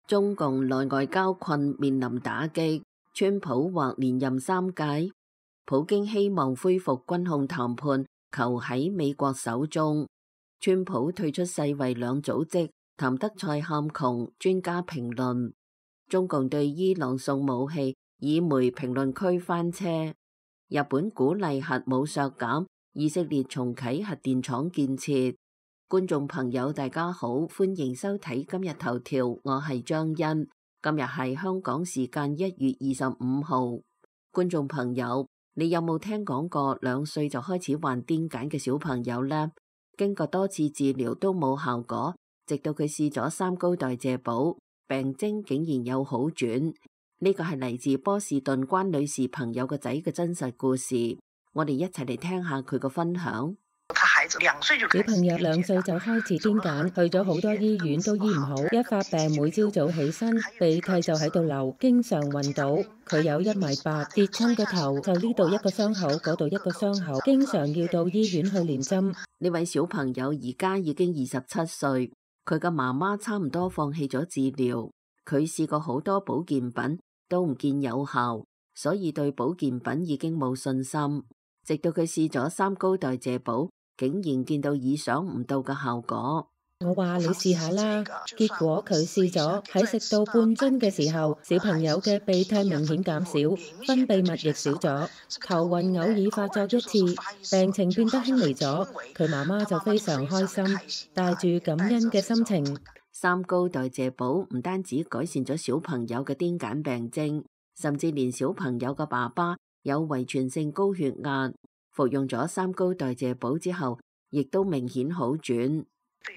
中共內外交困面臨打擊，川普或連任3屆。普京希望恢復軍控談判，求喺美國手中。川普退出世衛兩組織，譚德塞喊窮，專家評論。中共對伊朗送武器，以媒評論區翻車。日本鼓勵核武削減，以色列重啟核電廠建設。觀眾朋友大家好，歡迎收睇今日頭條，我係張欣。今日係香港時間1月25號。觀眾朋友，你有冇聽講過2歲就開始患癲癇嘅小朋友呢？經過多次治療都冇效果，直到佢試咗3高代謝補，病徵竟然有好轉。呢個係嚟自波士頓關女士朋友個仔嘅真實故事，我哋一齊嚟聽下佢個分享。小朋友2歲就開始癲癇，去咗好多醫院都醫唔好，一發病每朝早起身鼻涕就喺度流，經常暈倒。佢有1.8米，跌親個頭就呢度一個傷口，嗰度一個傷口，經常要到醫院去連針。呢位小朋友而家已經27歲，佢嘅媽媽差唔多放棄咗治療，佢試過好多保健品都唔見有效，所以對保健品已經冇信心。直到佢試咗3高代謝補，竟然見到意想唔到嘅效果。我話你試下啦，結果佢試咗，喺食到半樽嘅時候，小朋友嘅鼻涕明顯減少，分泌物亦少咗，頭暈偶爾發作1次，病情變得輕微咗。佢媽媽就非常開心，帶住感恩嘅心情。3高代謝補唔單止改善咗小朋友嘅癲癇病徵，甚至連小朋友嘅爸爸有遺傳性高血壓，服用咗3高代謝補之後，亦都明顯好轉。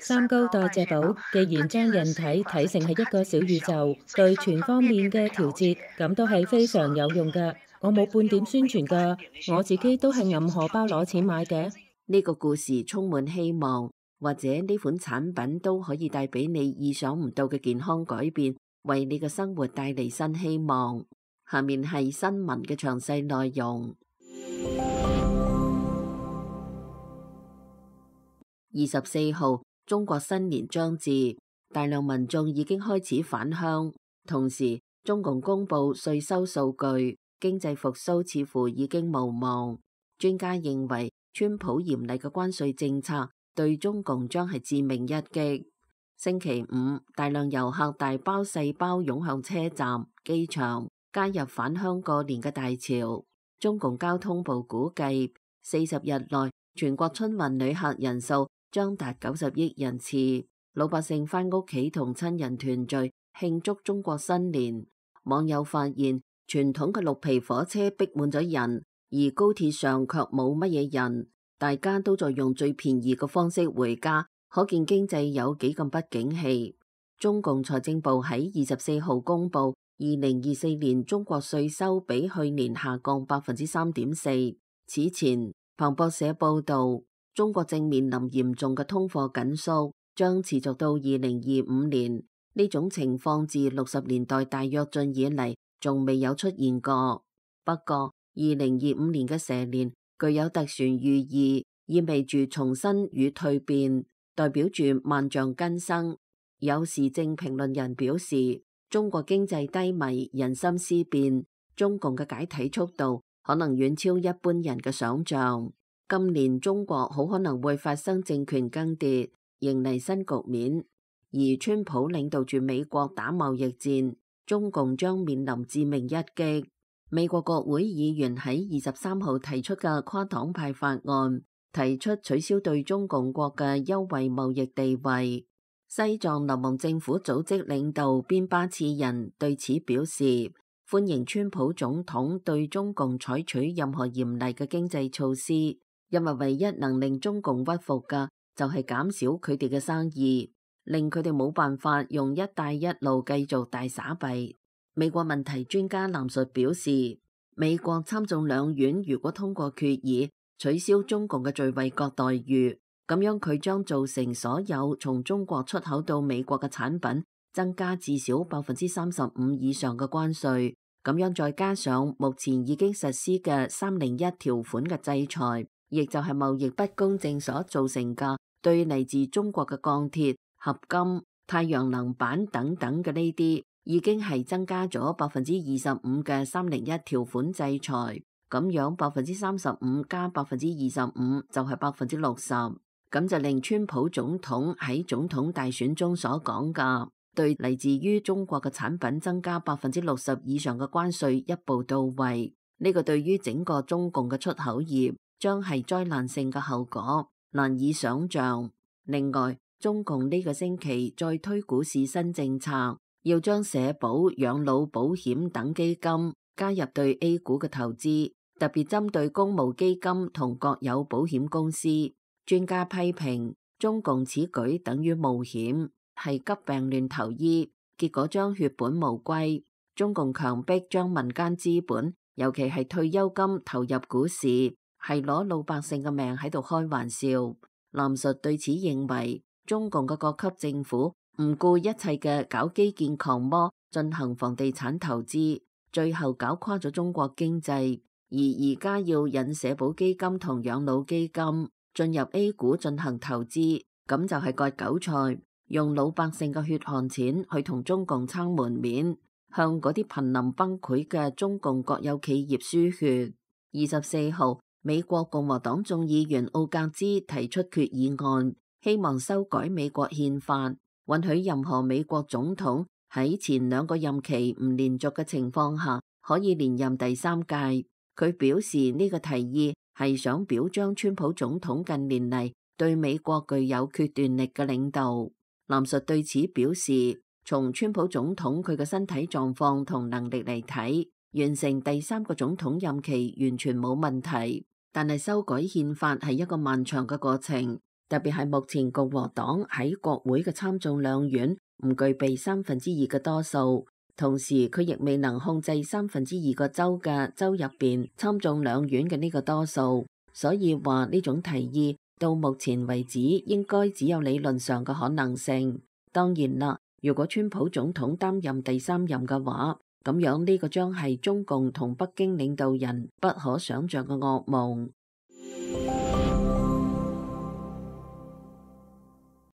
3高代謝補既然將人體睇成係一個小宇宙，對全方面嘅調節，咁都係非常有用㗎。我冇半點宣傳㗎，我自己都係揞荷包攞錢買嘅。呢個故事充滿希望，或者呢款產品都可以帶俾你意想唔到嘅健康改變，為你嘅生活帶嚟新希望。下面係新聞嘅詳細內容。24號，中國新年將至，大量民眾已經開始返鄉。同時，中共公布稅收數據，經濟復甦似乎已經無望。專家認為，川普嚴厲嘅關稅政策對中共將係致命一擊。星期5，大量遊客大包細包湧向車站、機場，加入返鄉過年嘅大潮。中共交通部估計，40日內全國春運旅客人數將達90億人次，老百姓返屋企同親人團聚慶祝中國新年。網友發現傳統嘅綠皮火車逼滿咗人，而高鐵上卻冇乜嘢人，大家都在用最便宜嘅方式回家，可見經濟有幾咁不景氣。中共財政部喺24號公布2024年中國稅收比去年下降3.4%。此前，彭博社報道，中國正面臨嚴重嘅通貨緊縮，將持續到2025年。呢種情況自60年代大躍進以嚟，仲未有出現過。不過，2025年嘅蛇年具有特殊寓意，意味住重生與蛻變，代表住萬象更生。有時政評論人表示，中國經濟低迷，人心思變，中共嘅解體速度可能遠超一般人嘅想象。今年中國好可能會發生政權更迭，迎嚟新局面。而川普領導住美國打貿易戰，中共將面臨致命一擊。美國國會議員喺23號提出嘅跨黨派法案，提出取消對中共國嘅優惠貿易地位。西藏流亡政府組織領導邊巴次仁對此表示，歡迎川普總統對中共採取任何嚴厲嘅經濟措施，因為唯一能令中共屈服嘅就係減少佢哋嘅生意，令佢哋冇辦法用一帶一路繼續大撒幣。美國問題專家藍述表示，美國參眾兩院如果通過決議取消中共嘅最惠國待遇，咁樣佢將造成所有從中國出口到美國嘅產品增加至少35%以上嘅關稅。咁樣再加上目前已經實施嘅301條款嘅制裁，亦就係貿易不公正所造成嘅對嚟自中國嘅鋼鐵、合金、太陽能板等等嘅呢啲，已經係增加咗25%嘅301條款制裁，咁樣35%加25%就係60%，咁就令川普總統喺總統大選中所講嘅對嚟自於中國嘅產品增加60%以上嘅關稅一步到位。呢個對於整個中共嘅出口業將係災難性嘅後果，難以想象。另外，中共呢個星期再推股市新政策，要將社保、養老保險等基金加入對 A 股嘅投資，特別針對公募基金同國有保險公司。專家批評中共此舉等於冒險，係急病亂投醫，結果將血本無歸。中共強迫將民間資本，尤其係退休金投入股市，係攞老百姓嘅命喺度開玩笑。藍述對此認為，中共嘅各級政府唔顧一切嘅搞基建狂魔，進行房地產投資，最後搞垮咗中國經濟。而家要引社保基金同養老基金進入 A 股進行投資，咁就係割韭菜，用老百姓嘅血汗錢去同中共撐門面，向嗰啲瀕臨崩潰嘅中共國有企業輸血。24號，美國共和黨眾議員奧格茲提出決議案，希望修改美國憲法，允許任何美國總統喺前2個任期唔連續嘅情況下，可以連任第3屆。佢表示呢個提議係想表彰川普總統近年嚟對美國具有決斷力嘅領導。藍述對此表示，從川普總統佢嘅身體狀況同能力嚟睇，完成第3個總統任期完全冇問題。但係修改憲法係一個漫長嘅過程，特別係目前共和黨喺國會嘅參眾兩院唔具備2/3嘅多數。同時，佢亦未能控制2/3個州嘅州入邊參眾兩院嘅呢個多數，所以話呢種提議到目前為止應該只有理論上嘅可能性。當然啦，如果川普總統擔任第3任嘅話，咁樣呢個將係中共同北京領導人不可想象嘅噩夢。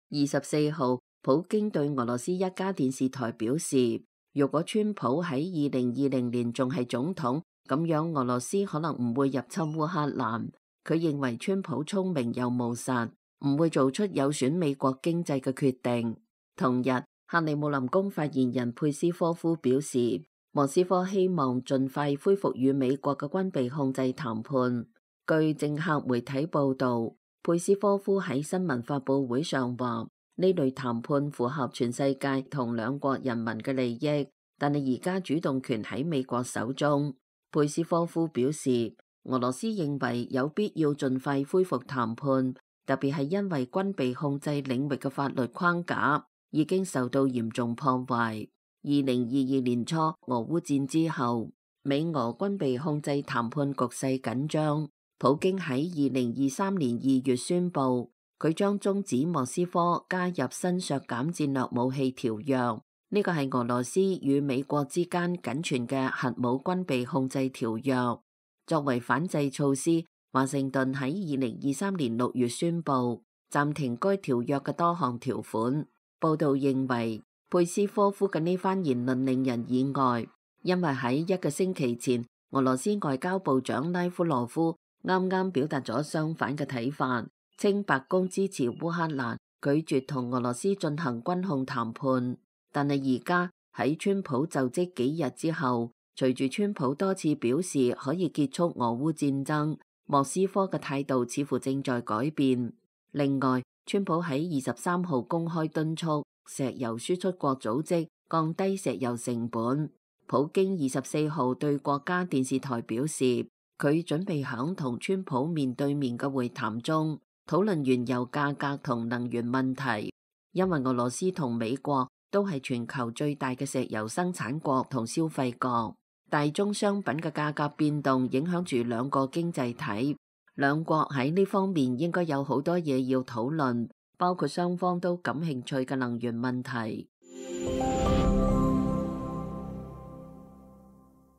24號，普京對俄羅斯一家電視台表示，如果川普喺2020年仲係總統，咁樣俄羅斯可能唔會入侵烏克蘭。佢認為川普聰明又務實，唔會做出有損美國經濟嘅決定。同日，克里姆林宮發言人佩斯科夫表示，莫斯科希望盡快恢復與美國嘅軍備控制談判。據政客媒體報道，佩斯科夫喺新聞發佈會上話，呢類談判符合全世界同兩國人民嘅利益，但係而家主動權喺美國手中。佩斯科夫表示，俄羅斯認為有必要盡快恢復談判，特別係因為軍備控制領域嘅法律框架已經受到嚴重破壞。2022年初俄烏戰之後，美俄軍備控制談判局勢緊張。普京喺2023年2月宣布，佢將終止莫斯科加入新削減戰略武器條約，呢個係俄羅斯與美國之間僅存嘅核武軍備控制條約。作為反制措施，華盛頓喺2023年6月宣布暫停該條約嘅多項條款。報道認為，佩斯科夫嘅呢番言論令人意外，因為喺1個星期前，俄羅斯外交部長拉夫羅夫啱啱表達咗相反嘅睇法，稱白宮支持烏克蘭，拒絕同俄羅斯進行軍控談判。但係而家喺川普就職幾日之後，隨住川普多次表示可以結束俄烏戰爭，莫斯科嘅態度似乎正在改變。另外，川普喺23號公開敦促石油輸出國組織降低石油成本。普京24號對國家電視台表示，佢準備響同川普面對面嘅會談中討論原油價格同能源問題，因為俄羅斯同美國都係全球最大嘅石油生產國同消費國，大宗商品嘅價格變動影響住兩個經濟體，兩國喺呢方面應該有好多嘢要討論，包括雙方都感興趣嘅能源問題。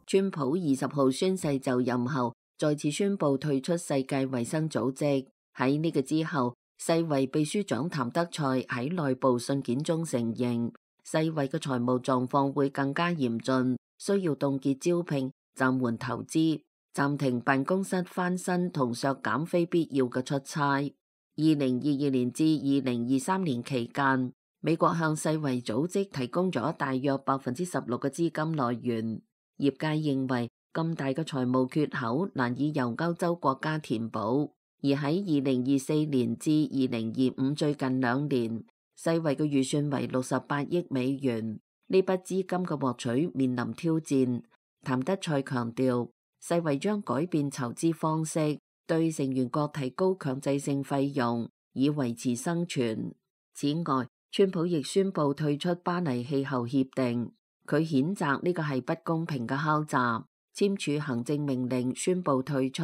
川普20號宣誓就任後，再次宣布退出世界衛生組織。喺呢個之後，世衛秘書長譚德塞喺內部信件中承認，世衛嘅財務狀況會更加嚴峻，需要凍結招聘、暫緩投資、暫停辦公室翻新同削減非必要嘅出差。2022年至2023年期間，美國向世衛組織提供咗大約16%嘅資金來源。業界認為咁大嘅財務缺口難以由歐洲國家填補，而喺2024年至2025最近2年，世衛嘅預算為68億美元。呢筆資金嘅獲取面臨挑戰。譚德塞強調，世衛將改變籌資方式，對成員國提高強制性費用，以維持生存。此外，川普亦宣布退出巴黎氣候協定，佢譴責呢個係不公平嘅敲詐，簽署行政命令宣布退出。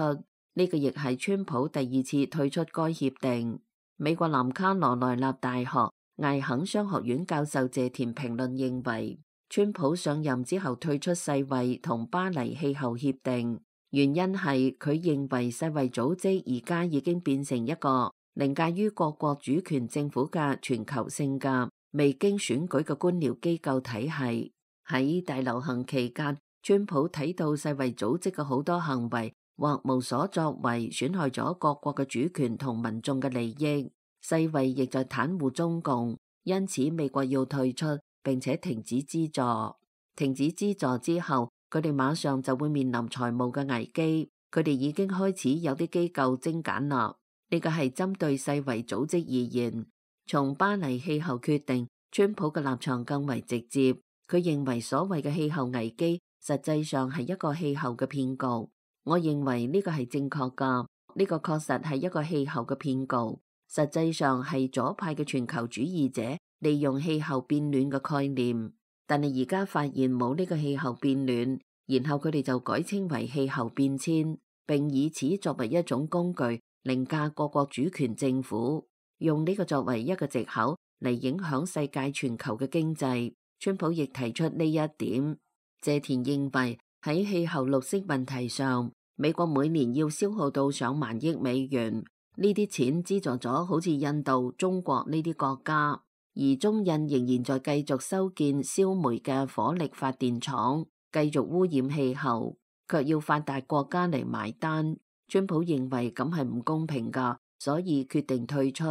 呢個亦係川普第2次退出該協定。美國南卡羅來納大學艾肯商學院教授謝田評論認為，川普上任之後退出世衛同巴黎氣候協定，原因係佢認為世衛組織而家已經變成一個凌駕於各國主權政府嘅全球性嘅未經選舉嘅官僚機構體系。喺大流行期間，川普睇到世衛組織嘅好多行為或無所作為，損害咗各國嘅主權同民眾嘅利益。世衛亦在袒護中共，因此美國要退出並且停止資助。停止資助之後，佢哋馬上就會面臨財務嘅危機。佢哋已經開始有啲機構精簡啦。呢個係針對世衛組織而言。從巴黎氣候決定，川普嘅立場更為直接。佢認為所謂嘅氣候危機實際上係一個氣候嘅騙局。我認為呢個係正確㗎。呢個確實係一個氣候嘅騙局。實際上係左派嘅全球主義者利用氣候變暖嘅概念，但係而家發現冇呢個氣候變暖，然後佢哋就改稱為氣候變遷，並以此作為一種工具凌駕各國主權政府，用呢個作為一個藉口嚟影響世界全球嘅經濟。川普亦提出呢一點。謝田認為喺氣候綠色問題上，美國每年要消耗到上萬億美元。呢啲錢資助咗好似印度、中國呢啲國家，而中印仍然在繼續修建燒煤嘅火力發電廠，繼續污染氣候，卻要發達國家嚟埋單。川普認為咁係唔公平㗎，所以決定退出。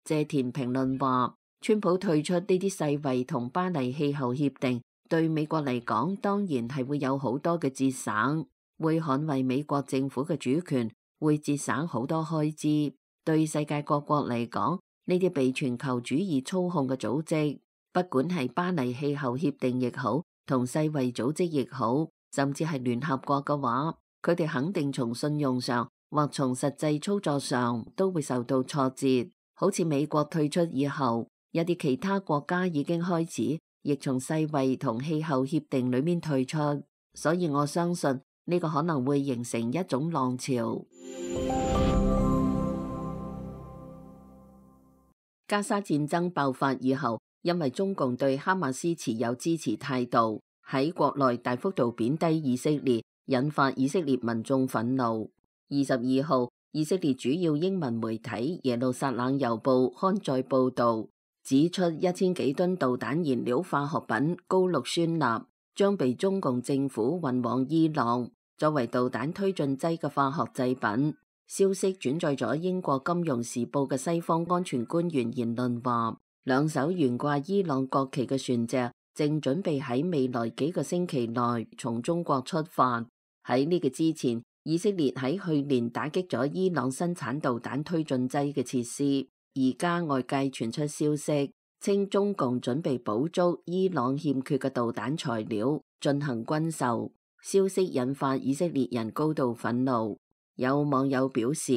謝田評論話，川普退出呢啲世衛同巴黎氣候協定，對美國嚟講當然係會有好多嘅節省，會捍衛美國政府嘅主權，會節省好多開支。對世界各國嚟講，呢啲被全球主義操控嘅組織，不管係巴黎氣候協定亦好，同世衛組織亦好，甚至係聯合國嘅話，佢哋肯定從信用上或從實際操作上都會受到挫折。好似美國退出以後，有啲其他國家已經開始亦從世衛同氣候協定裏面退出，所以我相信呢個可能會形成一種浪潮。加沙戰爭爆發以後，因為中共對哈馬斯持有支持態度，喺國內大幅度貶低以色列，引發以色列民眾憤怒。22號，以色列主要英文媒體耶路撒冷郵報刊載報導，指出1000幾噸導彈燃料化學品高氯酸鈉將被中共政府運往伊朗，作為導彈推進劑嘅化學製品。消息轉載咗英國金融時報嘅西方安全官員言論話，2艘懸掛伊朗國旗嘅船隻正準備喺未來幾個星期內從中國出發。喺呢個之前，以色列喺去年打擊咗伊朗生產導彈推進劑嘅設施。而家外界傳出消息，稱中共準備補足伊朗欠缺嘅導彈材料進行軍售。消息引發以色列人高度憤怒。有網友表示，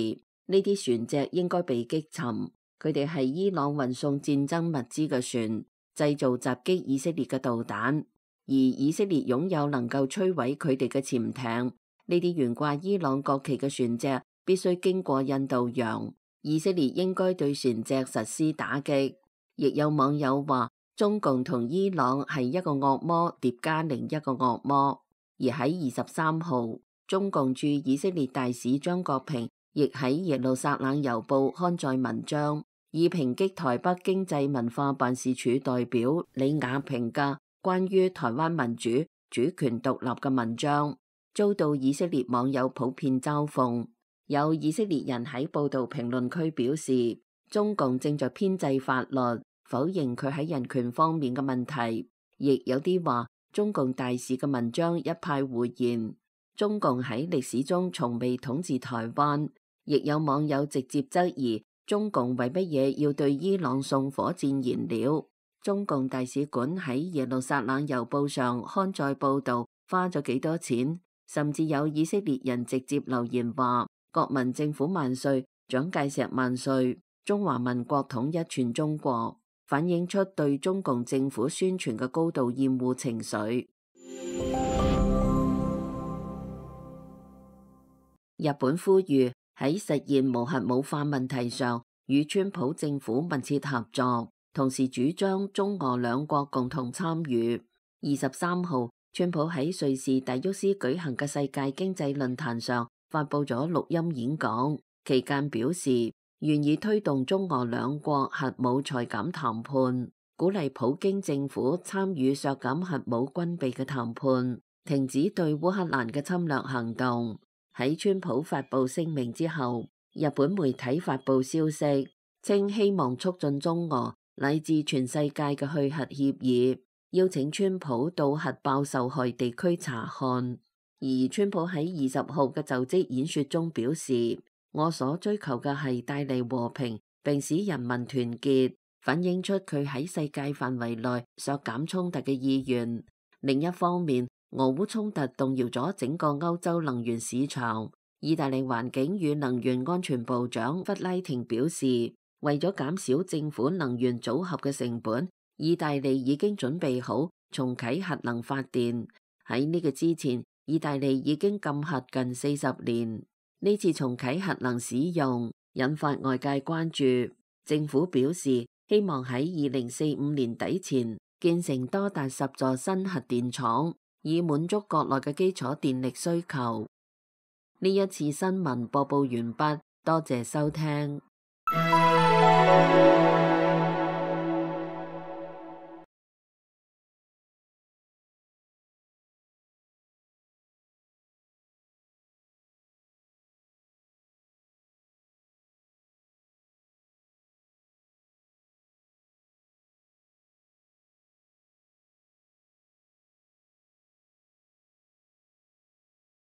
呢啲船隻應該被擊沉，佢哋係伊朗運送戰爭物資嘅船，製造襲擊以色列嘅導彈，而以色列擁有能夠摧毀佢哋嘅潛艇。呢啲懸掛伊朗國旗嘅船隻必須經過印度洋，以色列應該對船隻實施打擊。亦有網友話，中共同伊朗係一個惡魔疊加另一個惡魔。而喺23號，中共駐以色列大使張國平亦喺耶路撒冷郵報刊載文章，以抨擊台北經濟文化辦事處代表李雅萍嘅關於台灣民主主權獨立嘅文章，遭到以色列網友普遍嘲諷。有以色列人喺報道評論區表示，中共正在編製法律，否認佢喺人權方面嘅問題，亦有啲話中共大使嘅文章一派胡言。中共喺歷史中從未統治台灣，亦有網友直接質疑中共為乜嘢要對伊朗送火箭燃料。中共大使館喺耶路撒冷郵報上刊載報道花咗幾多錢，甚至有以色列人直接留言話國民政府萬歲，蔣介石萬歲，中華民國統一全中國，反映出對中共政府宣傳嘅高度厭惡情緒。日本呼籲喺實現無核武化問題上與川普政府密切合作，同時主張中俄兩國共同參與。23號，川普喺瑞士達沃斯舉行嘅世界經濟論壇上發佈咗錄音演講，期間表示願意推動中俄兩國核武裁減談判，鼓勵普京政府參與削減核武軍備嘅談判，停止對烏克蘭嘅侵略行動。喺川普發布聲明之後，日本媒體發布消息，稱希望促進中俄乃至全世界嘅去核協議，邀請川普到核爆受害地區查看。而川普喺20號嘅就職演說中表示，我所追求嘅係帶嚟和平並使人民團結，反映出佢喺世界範圍內削減衝突嘅意願。另一方面，俄烏衝突動搖咗整個歐洲能源市場。意大利環境與能源安全部長弗拉廷表示，為咗減少政府能源組合嘅成本，意大利已經準備好重啟核能發電。喺呢個之前，意大利已經禁核近40年。呢次重啟核能使用引發外界關注。政府表示希望喺2045年底前建成多達10座新核電廠，以滿足國內嘅基礎電力需求。呢一次新聞播報完畢，多謝收聽。